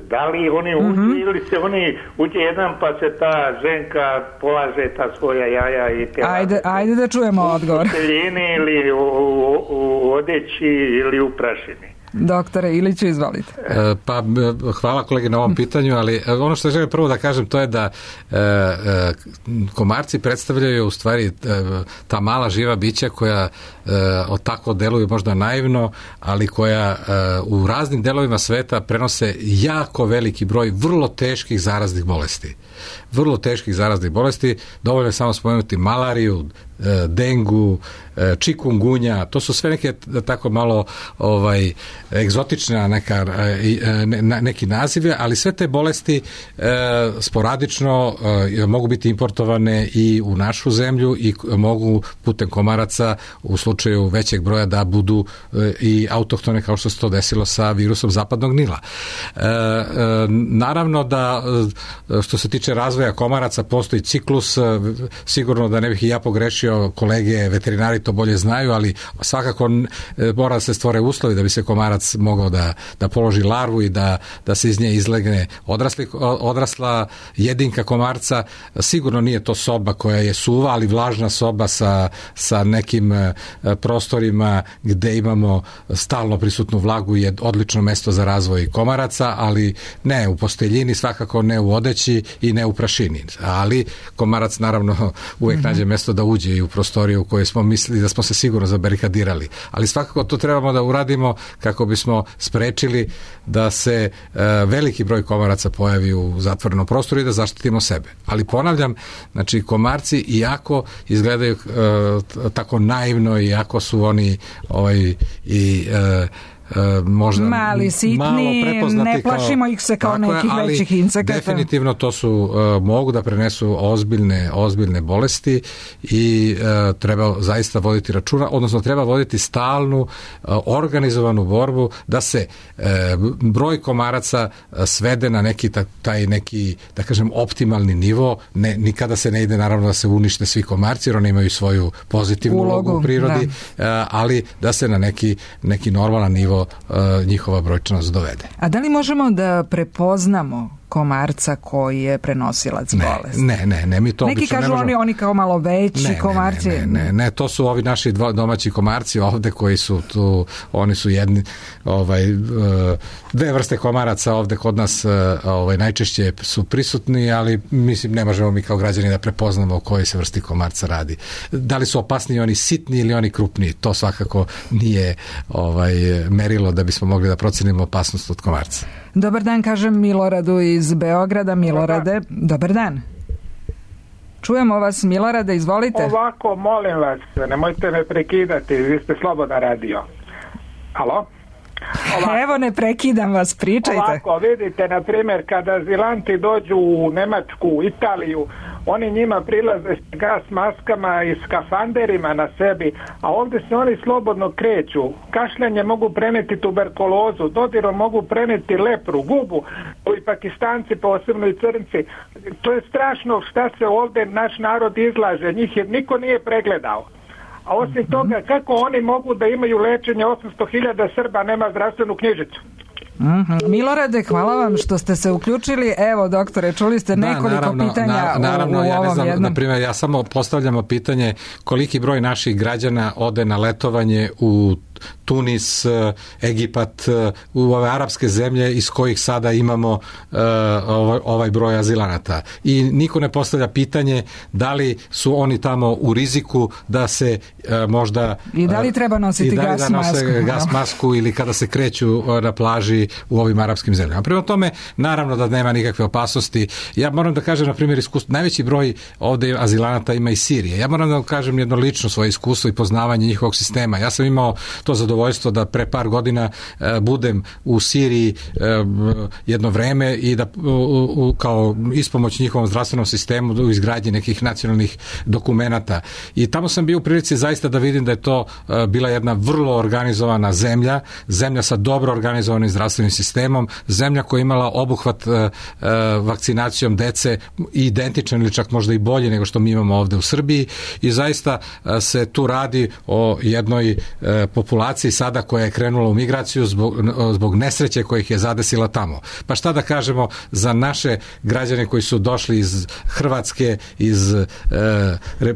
Da li oni uđu ili se oni uđe jedan pa se ta ženka polaže ta svoja jaja i te... Ajde da čujemo odgovor. U teljini ili u odeći ili u prašini. Doktore Iliću, izvolite. Pa hvala kolegi na ovom pitanju, ali ono što želim prvo da kažem to je da komarci predstavljaju u stvari ta mala živa bića koja tako deluju možda naivno, ali koja u raznim delovima sveta prenose jako veliki broj vrlo teških zaraznih bolesti. Dovoljno je samo spomenuti malariju, dengu, čikungunja, to su sve neke tako malo egzotične neki nazive, ali sve te bolesti sporadično mogu biti importovane i u našu zemlju i mogu putem komaraca u slučaju većeg broja da budu i autohtone, kao što se to desilo sa virusom zapadnog Nila. Naravno da što se tiče razvoja komaraca postoji ciklus, sigurno da ne bih i ja pogrešio, kolege veterinari to bolje znaju, ali svakako mora da se stvore uslovi da bi se komarac mogao da položi larvu i da se iz nje izlegne odrasla jedinka komarca. Sigurno nije to soba koja je suva, ali vlažna soba sa nekim prostorima gde imamo stalno prisutnu vlagu je odlično mesto za razvoj komaraca, ali ne u posteljini, svakako ne u odeći i ne u prašini. Ali komarac naravno uvijek nađe mesto da uđe i u prostoriju u kojoj smo mislili da smo se sigurno zabarikadirali. Ali svakako to trebamo da uradimo kako bismo sprečili da se veliki broj komaraca pojavi u zatvorenom prostoru i da zaštitimo sebe. Ali ponavljam, znači komarci iako izgledaju tako naivno, iako su oni možda mali, sitni, ne plašimo ih se kao nekih većih insekata. Definitivno to su, mogu da prenesu ozbiljne bolesti i treba zaista voditi računa, odnosno treba voditi stalnu organizovanu borbu da se broj komaraca svede na taj neki, da kažem, optimalni nivo. Nikada se ne ide naravno da se unište svi komarci, jer oni imaju svoju pozitivnu ulogu u prirodi, ali da se na neki normalan nivo njihova brojčanost dovede. A da li možemo da prepoznamo komarca koji je prenosilac bolesti? Ne, mi to neki obično kažu oni kao malo veći komarci. Ne, to su ovi naši domaći komarci ovde koji su tu, oni su jedni, dve vrste komaraca ovde kod nas najčešće su prisutni, ali mislim ne možemo mi kao građani da prepoznamo o kojoj se vrsti komarca radi. Da li su opasniji oni sitni ili oni krupniji, to svakako nije merilo da bismo mogli da procenimo opasnost od komarca. Dobar dan, kažem Miloradu iz Beograda. Milorade, dobar dan. Čujemo vas, Milorade, izvolite. Ovako, molim vas, nemojte me prekidati, vi ste slobodan radio. Alo? Evo, ne prekidam vas, pričajte. Ovako, vidite, na primjer, kada azilanti dođu u Nemačku, Italiju, oni njima prilaze s gas maskama i skafanderima na sebi, a ovdje se oni slobodno kreću. Kašljanje mogu preneti tuberkulozu, dodirom mogu preneti lepru, gubu, i Pakistanci, posebno i crnci. To je strašno šta se ovdje naš narod izlaže, njih niko nije pregledao. A osim toga, kako oni mogu da imaju lečenje 800.000 Srba, nema zdravstvenu knjižicu? Milorade, hvala vam što ste se uključili. Evo, doktore, čuli ste nekoliko pitanja naravno, u ja ovom ne znam, jednom. na primjer, ja samo postavljamo pitanje koliki broj naših građana ode na letovanje u Tunis, Egipat, u ove arapske zemlje iz kojih sada imamo ovaj broj azilanata. I niko ne postavlja pitanje da li su oni tamo u riziku da se možda... I da li treba nositi gas masku ili kada se kreću na plaži u ovim arapskim zemljama. Prema tome, naravno da nema nikakve opasnosti. Ja moram da kažem, na primjer, iskustvo, najveći broj ovde azilanata ima iz Sirije. Ja moram da kažem jedno lično svoje iskustvo i poznavanje njihovog sistema. Ja sam imao to zadovoljstvo da pre par godina budem u Siriji jedno vreme i da kao ispomoć njihovom zdravstvenom sistemu u izgradnji nekih nacionalnih dokumenata. I tamo sam bio u prilici zaista da vidim da je to bila jedna vrlo organizovana zemlja sa dobro organizovanim zdravstvenim sistemom, zemlja koja je imala obuhvat vakcinacijom dece identičan ili čak možda i bolje nego što mi imamo ovde u Srbiji i zaista se tu radi o jednoj populaciji sada koja je krenula u migraciju zbog nesreće koja ih je zadesila tamo. Pa šta da kažemo za naše građane koji su došli iz Hrvatske, iz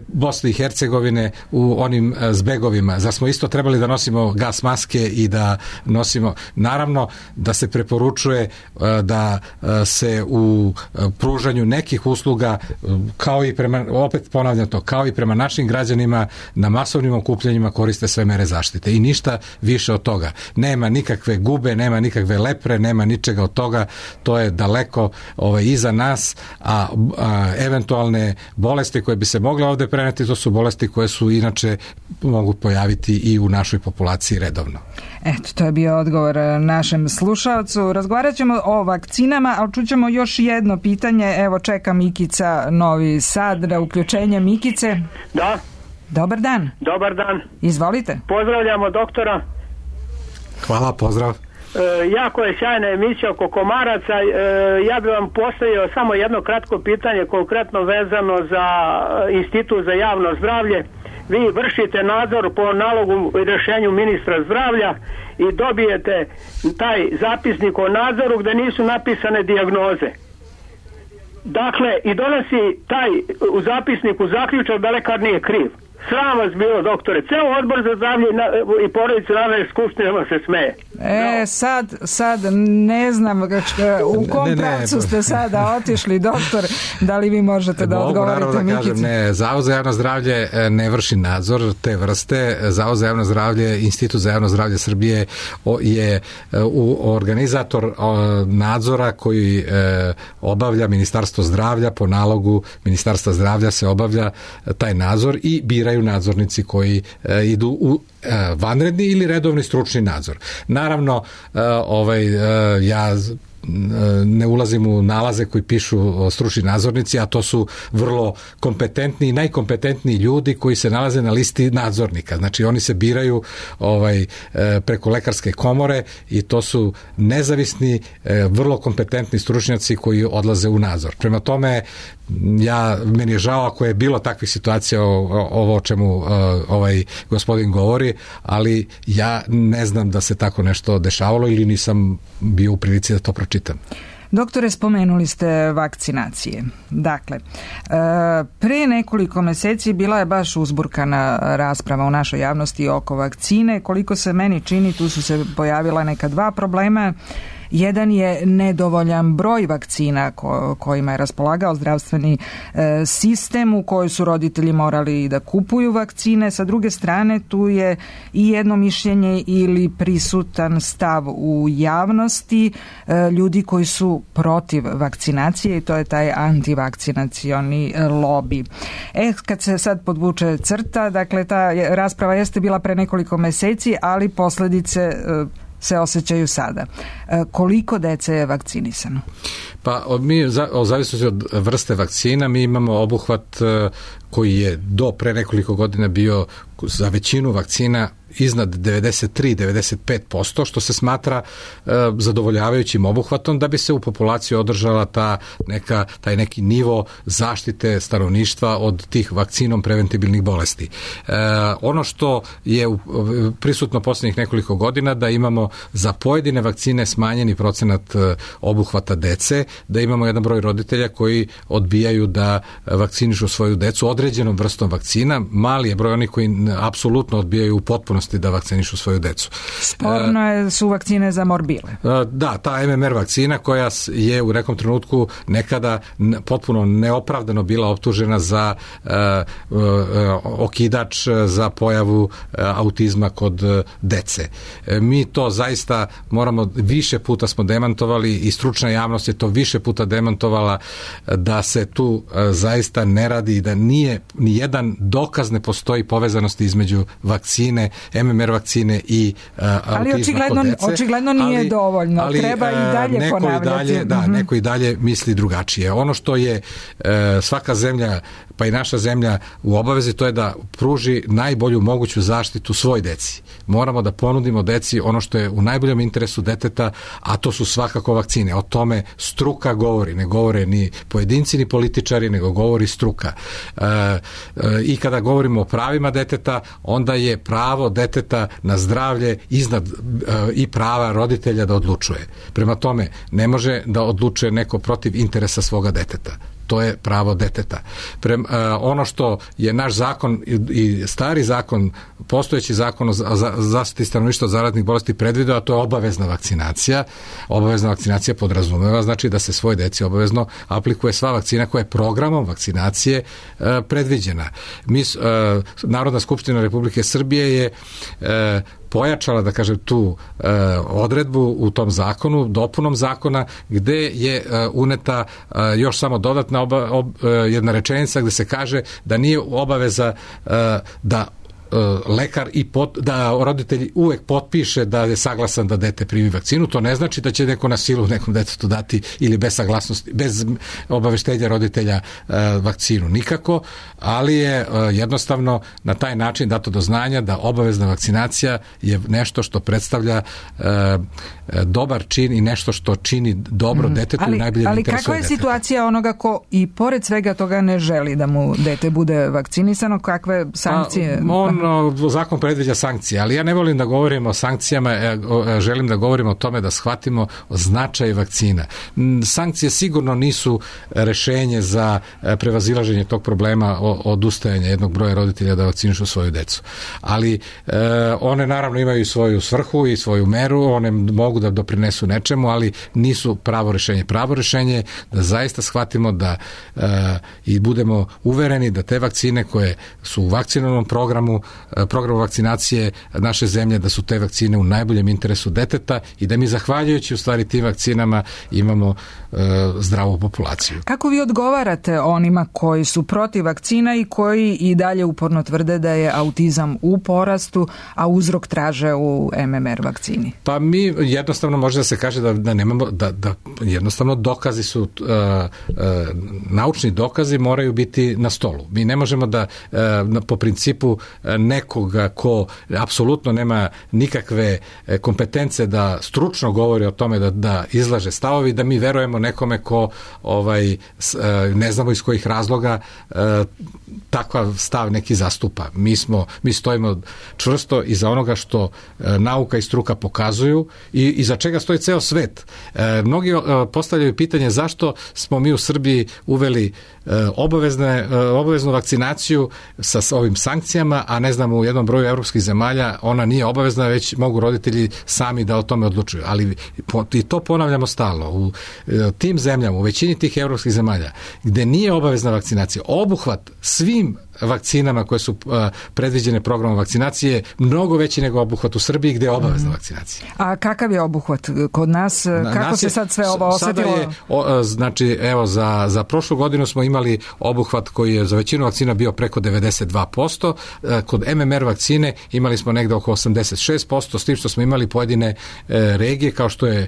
Bosne i Hercegovine u onim zbegovima. Zar smo isto trebali da nosimo gas maske i da nosimo... Naravno da se preporučuje da se u pružanju nekih usluga, kao i prema, opet ponavljam to, kao i prema našim građanima na masovnim okupljanjima koriste sve mere zaštite i ništa više od toga. Nema nikakve gube, nema nikakve lepre, nema ničega od toga, to je daleko iza nas, a eventualne bolesti koje bi se mogle ovde preneti, to su bolesti koje su inače mogu pojaviti i u našoj populaciji redovno. Eto, to je bio odgovor našem slušalcu. Razgovarat ćemo o vakcinama, ali čućemo još jedno pitanje. Evo, čeka Mikica Novi Sad na uključenje. Mikice? Da. Dobar dan. Dobar dan. Izvolite. Pozdravljamo doktora. Hvala, pozdrav. Jako je sjajna emisija oko komaraca. Ja bih vam postavio samo jedno kratko pitanje, konkretno vezano za Institut za javno zdravlje. Vi vršite nadzor po nalogu i rješenju ministra zdravlja i dobijete taj zapisnik o nadzoru gdje nisu napisane dijagnoze. Dakle, i donosi taj u zapisniku zaključak da lekar nije kriv. Sram vas bilo, doktore. Ceo odbor za zdravlje i porodicu Narodne skupštine se smeje. Sad ne znam u kom pravcu ste sada otišli, doktor, da li vi možete da odgovorite Mikici? Zavod za javno zdravlje ne vrši nadzor te vrste. Zavod za javno zdravlje, Institut za javno zdravlje Srbije je organizator nadzora koji obavlja Ministarstvo zdravlja, po nalogu Ministarstva zdravlja se obavlja taj nadzor i bira biraju nadzornici koji idu u vanredni ili redovni stručni nadzor. Naravno, ja ne ulazim u nalaze koji pišu stručni nadzornici, a to su vrlo kompetentni i najkompetentniji ljudi koji se nalaze na listi nadzornika. Znači oni se biraju preko lekarske komore i to su nezavisni, vrlo kompetentni stručnjaci koji odlaze u nadzor. Prema tome, meni je žao ako je bilo takvih situacija ovo o čemu gospodin govori, ali ja ne znam da se tako nešto dešavalo ili nisam bio u prilici da to pročitam. Doktore, spomenuli ste vakcinacije. Dakle, pre nekoliko meseci bila je baš uzburkana rasprava u našoj javnosti oko vakcine. Koliko se meni čini, tu su se pojavila neka dva problema. Jedan je nedovoljan broj vakcina kojima je raspolagao zdravstveni sistem, u kojoj su roditelji morali da kupuju vakcine. Sa druge strane, tu je i jedno mišljenje ili prisutan stav u javnosti ljudi koji su protiv vakcinacije i to je taj antivakcinacioni lobi. Kad se sad podvuče crta, dakle ta rasprava jeste bila pre nekoliko meseci, ali posledice se osjećaju sada. Koliko dece je vakcinisano? Pa mi, o zavisnosti od vrste vakcina, mi imamo obuhvat koji je do pre nekoliko godina bio za većinu vakcina iznad 93-95%, što se smatra zadovoljavajućim obuhvatom da bi se u populaciji održala taj neki nivo zaštite stanovništva od tih vakcinom preventibilnih bolesti. Ono što je prisutno posljednjih nekoliko godina, da imamo za pojedine vakcine smanjeni procenat obuhvata dece, da imamo jedan broj roditelja koji odbijaju da vakcinišu svoju decu određenom vrstom vakcina. Mali je broj onih koji apsolutno odbijaju u potpunosti da vakcinišu svoju decu. Sporno su vakcine za morbile. Da, ta MMR vakcina koja je u nekom trenutku nekada potpuno neopravdano bila optužena za okidač za pojavu autizma kod dece. Mi to zaista moramo, više puta smo demantovali i stručna javnost je to više puta demantovala, da se tu zaista ne radi i da ni jedan dokaz ne postoji povezanosti između vakcine, MMR vakcine i autizma kod dece. Ali očigledno nije dovoljno. Treba i dalje ponavljati. Neko i dalje misli drugačije. Ono što je svaka zemlja, pa i naša zemlja u obavezi, to je da pruži najbolju moguću zaštitu svoj deci. Moramo da ponudimo deci ono što je u najboljem interesu deteta, a to su svakako vakcine. O tome struka govori. Ne govore ni pojedinci ni političari, nego govori struka. I kada govorimo o pravima deteta, onda je pravo deteta na zdravlje iznad i prava roditelja da odlučuje. Prema tome, ne može da odlučuje neko protiv interesa svoga deteta. To je pravo deteta. Ono što je naš zakon i stari zakon, postojeći zakon o zaštiti stanovništva od zaraznih bolesti predvideo, a to je obavezna vakcinacija. Obavezna vakcinacija podrazumeva, znači da se svoj deci obavezno aplikuje sva vakcina koja je programom vakcinacije predviđena. Narodna skupština Republike Srbije je pojačala, da kažem, tu odredbu u tom zakonu, dopunom zakona, gde je uneta još samo dodatna jedna rečenica gde se kaže da nije obaveza da lekar da roditelj uvek potpiše da je saglasan da dete primi vakcinu. To ne znači da će neko na silu nekom detetu dati ili bez saglasnosti, bez obaveštenja roditelja vakcinu. Nikako, ali je jednostavno na taj način dato do znanja da obavezna vakcinacija je nešto što predstavlja dobar čin i nešto što čini dobro detetu i najbolje interesuje deteta. Ali kakva je situacija onoga ko i pored svega toga ne želi da mu dete bude vakcinisano? Kakve sankcije? Zakon predviđa sankcije, ali ja ne volim da govorim o sankcijama, želim da govorim o tome da shvatimo značaj vakcina. Sankcije sigurno nisu rešenje za prevazilaženje tog problema odustajanja jednog broja roditelja da vakcinišu svoju decu. Ali one naravno imaju svoju svrhu i svoju meru, one mogu da doprinesu nečemu, ali nisu pravo rešenje. Pravo rešenje je da zaista shvatimo da i budemo uvereni da te vakcine koje su u vakcinalnom programu programu vakcinacije naše zemlje, da su te vakcine u najboljem interesu deteta i da mi zahvaljujući u stvari tim vakcinama imamo zdravu populaciju. Kako vi odgovarate onima koji su protiv vakcina i koji i dalje uporno tvrde da je autizam u porastu, a uzrok traže u MMR vakcini? Pa mi jednostavno može da se kaže da nemamo, da jednostavno dokazi su, naučni dokazi moraju biti na stolu. Mi ne možemo da po principu nekoga ko apsolutno nema nikakve kompetence da stručno govori o tome da izlaže stavovi, da mi verujemo nekome ko ne znamo iz kojih razloga takav stav neki zastupa. Mi stojimo čvrsto iza onoga što nauka i struka pokazuju i iza čega stoji ceo svet. Mnogi postavljaju pitanje zašto smo mi u Srbiji uveli obaveznu vakcinaciju sa ovim sankcijama, a ne znam, u jednom broju evropskih zemalja ona nije obavezna, već mogu roditelji sami da o tome odlučuju. Ali i to ponavljamo stalno. U tim zemljama, u većini tih evropskih zemalja, gde nije obavezna vakcinacija, obuhvat svim vakcinama koje su predviđene programom vakcinacije mnogo veći nego obuhvat u Srbiji gde je obavezna vakcinacija. A kakav je obuhvat kod nas? Kako se sad sve ovo osetilo? Znači, evo, za prošlu godinu smo imali obuhvat koji je za većinu vakcina bio preko 92%. Kod MMR vakcine imali smo negde oko 86%, s tim što smo imali pojedine regije, kao što je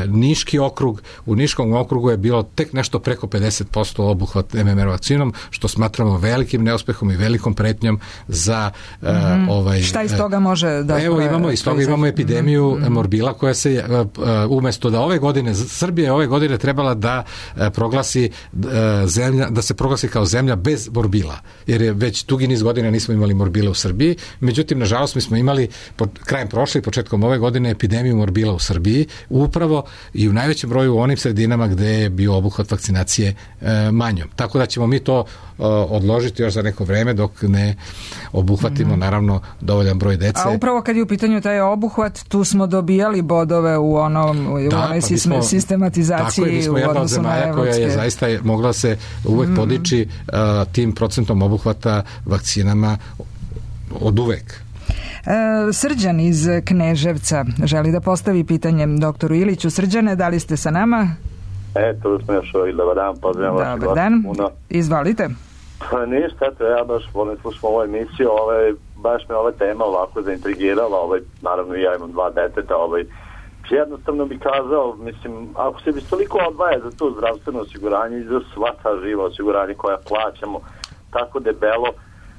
Niški okrug. U Niškom okrugu je bilo tek nešto preko 50% obuhvat MMR vakcinom, što smatramo velikim neuspehom i velikom pretnjom za Šta iz toga može da... Evo, imamo epidemiju morbila koja se umesto da ove godine, Srbija je ove godine trebala da proglasi zemlja, da se proglasi kao zemlja bez morbila, jer je već dugi niz godina nismo imali morbila u Srbiji. Međutim, nažalost, mi smo imali krajem prošle i početkom ove godine epidemiju morbila u Srbiji, upravo i u najvećem broju u onim sredinama gde je bio obuhvat vakcinacije manjom. Tako da ćemo mi to odložiti još za neko vreme dok ne obuhvatimo naravno dovoljan broj dece. A upravo kad je u pitanju taj obuhvat, tu smo dobijali bodove u onoj sistematizaciji. Tako je, mi smo jedna od zemalja koja je zaista mogla se uvek podići tim procentom obuhvata vakcinama od uvek. Srđan iz Kneževca želi da postavi pitanje doktoru Iliću. Srđane, da li ste sa nama? Tu smo još dobar dan, pozdravljam vas. Dobar dan, izvalite. Pa ništa, ja baš volim slušati ovu emisiju, baš me ova tema ovako zaintrigirala, naravno ja imam 2 deteta, jednostavno bi kazao, mislim, ako se bi toliko odvaja za to zdravstveno osiguranje i za sva ta živa osiguranje koja plaćamo tako debelo,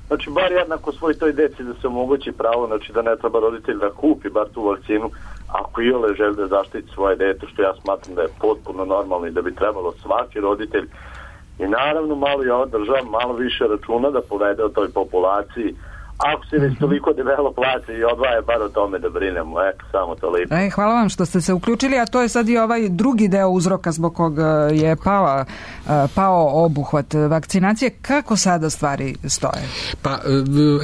znači bar jednako svoj toj deci da se omogući pravo, znači da ne treba roditelj da kupi bar tu vakcinu, ako iole želi da zaštiti svoje dete, što ja smatram da je potpuno normalno i da bi trebalo svaki roditelj i naravno malo i ova država malo više računa da povede o toj populaciji. Ako se već toliko debelo plaća i odvaja, bar o tome da brinemo. Samo toliko. Hvala vam što ste se uključili, a to je sad i ovaj drugi deo uzroka zbog kog je pao obuhvat vakcinacije. Kako sada stvari stoje? Pa,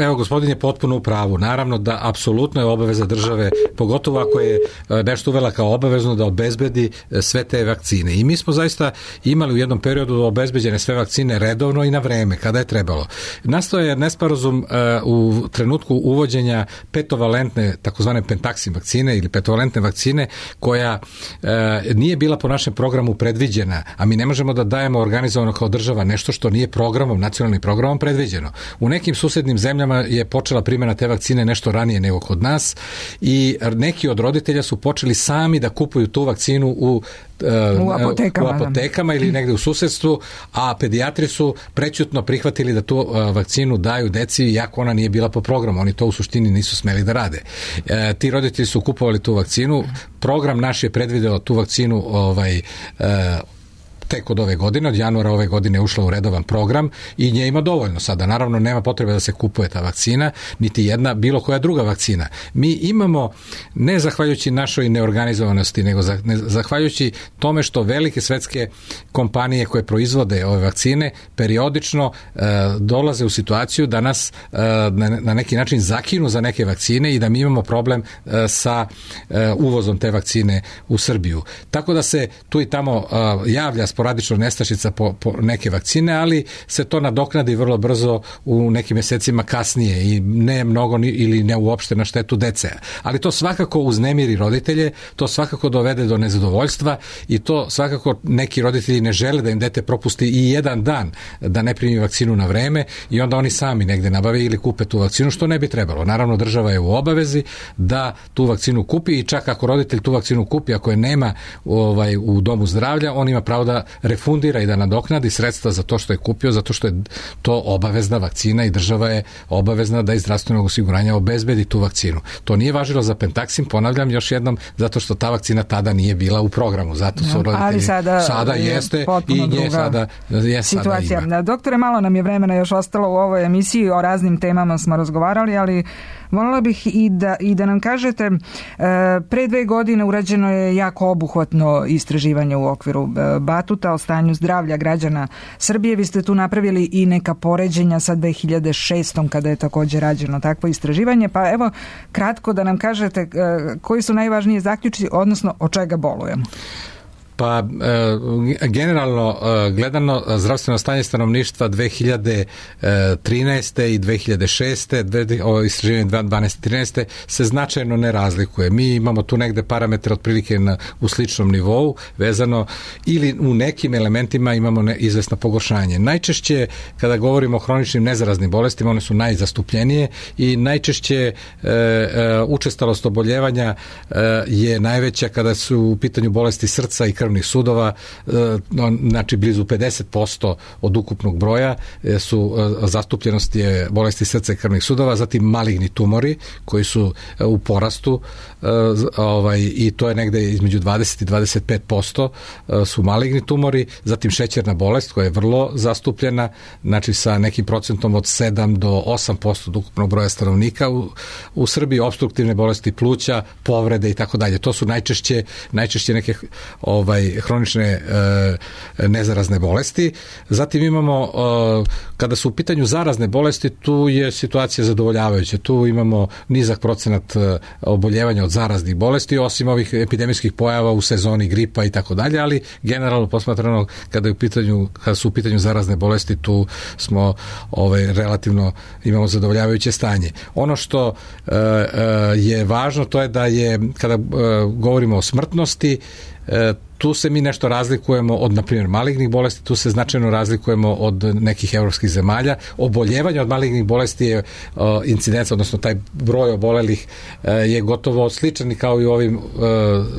evo, gospodin je potpuno u pravu. Naravno da apsolutno je obaveza države, pogotovo ako je nešto uvela kao obavezno, da obezbedi sve te vakcine. I mi smo zaista imali u jednom periodu obezbeđene sve vakcine redovno i na vreme, kada je trebalo. Nastao je nesporazum u trenutku uvođenja petovalentne, takozvane pentaksin vakcine ili petovalentne vakcine, koja nije bila po našem programu predviđena, a mi ne možemo da dajemo organizovano kao država nešto što nije programom, nacionalnim programom predviđeno. U nekim susednim zemljama je počela primjena te vakcine nešto ranije nego kod nas i neki od roditelja su počeli sami da kupuju tu vakcinu u apotekama ili negde u susedstvu, a pedijatri su prećutno prihvatili da tu vakcinu daju deci, iako ona nije bila po programu. Oni to u suštini nisu smeli da rade. Ti roditelji su kupovali tu vakcinu. Program naš je predvideo tu vakcinu tek od ove godine, od januara ove godine je ušla u redovan program i nje ima dovoljno sada. Naravno, nema potrebe da se kupuje ta vakcina, niti jedna bilo koja druga vakcina. Mi imamo, ne zahvaljujući našoj neorganizovanosti, nego zahvaljujući tome što velike svetske kompanije koje proizvode ove vakcine periodično dolaze u situaciju da nas na neki način zakinu za neke vakcine i da mi imamo problem sa uvozom te vakcine u Srbiju. Tako da se tu i tamo javlja sporadično nestašica po neke vakcine, ali se to nadoknadi vrlo brzo u nekim mjesecima kasnije i ne mnogo ili ne uopšte na štetu dece. Ali to svakako uznemiri roditelje, to svakako dovede do nezadovoljstva i to svakako neki roditelji ne žele da im dete propusti i jedan dan da ne primi vakcinu na vreme i onda oni sami negde nabave ili kupe tu vakcinu, što ne bi trebalo. Naravno, država je u obavezi da tu vakcinu kupi i čak ako roditelj tu vakcinu kupi, ako je nema u domu zdravlja, on ima pravo da refundira i da nadoknadi sredstva za to što je kupio, zato što je to obavezna vakcina i država je obavezna da iz zdravstvenog osiguranja obezbedi tu vakcinu. To nije važilo za Pentaxim, ponavljam još jednom, zato što ta vakcina tada nije bila u programu. Zato su roditelji, ali sada jeste i nje sada je situacija. Sada ima. Doktore, malo nam je vremena još ostalo u ovoj emisiji, o raznim temama smo razgovarali, ali voljela bih i da nam kažete, pre 2 godine urađeno je jako obuhvatno istraživanje u okviru Batuta o stanju zdravlja građana Srbije. Vi ste tu napravili i neka poređenja sa 2006. kada je također rađeno takvo istraživanje, pa evo kratko da nam kažete koji su najvažniji zaključci, odnosno od čega bolujemo. Pa generalno gledano zdravstveno stanje stanovništva 2013. i 2006. ovo istraživanje 2012-2013. se značajno ne razlikuje. Mi imamo tu negde parametre otprilike u sličnom nivou vezano ili u nekim elementima imamo izvesno pogoršanje. Najčešće kada govorimo o hroničnim nezaraznim bolestima, one su najzastupljenije i najčešće učestalost oboljevanja je najveća kada su u pitanju bolesti srca i krvnih sudova, znači blizu 50% od ukupnog broja su zastupljenost je bolesti srca i krvnih sudova, zatim maligni tumori koji su u porastu i to je negde između 20 i 25% su maligni tumori, zatim šećerna bolest koja je vrlo zastupljena, znači sa nekim procentom od 7 do 8% od ukupnog broja stanovnika u Srbiji, opstruktivne bolesti pluća, povrede i tako dalje. To su najčešće neke hronične nezarazne bolesti. Zatim imamo, kada su u pitanju zarazne bolesti, tu je situacija zadovoljavajuća. Tu imamo nizak procenat oboljevanja od zaraznih bolesti, osim ovih epidemijskih pojava u sezoni gripa i tako dalje, ali generalno posmatrano kada su u pitanju zarazne bolesti, tu smo relativno imamo zadovoljavajuće stanje. Ono što je važno, to je da je, kada govorimo o smrtnosti, tu se mi nešto razlikujemo od, na primjer, malignih bolesti, tu se značajno razlikujemo od nekih evropskih zemalja. Oboljevanje od malignih bolesti je incidenca, odnosno taj broj obolelih je gotovo sličan kao i u ovim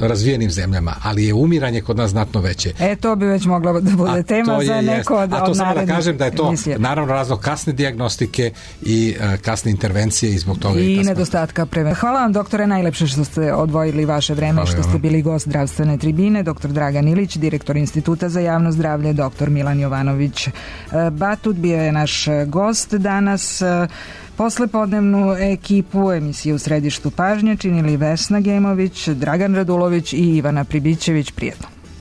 razvijenim zemljama, ali je umiranje kod nas znatno veće. To bi već mogla da bude tema za neko od narednih. A to samo da kažem da je to naravno razlog kasne dijagnostike i kasne intervencije i zbog toga i nedostatka prevencije. Hvala vam, doktore, najlepše što ste odvojili vaše vreme, što ste bili gost zdravstvene tribine. Doktor Dragan Ilić, direktor Instituta za javno zdravlje, doktor Milan Jovanović Batut bio je naš gost danas. Poslepodnevnu ekipu emisije U središtu pažnje činili Vesna Gemović, Dragan Radulović i Ivana Pribićević. Prijetno.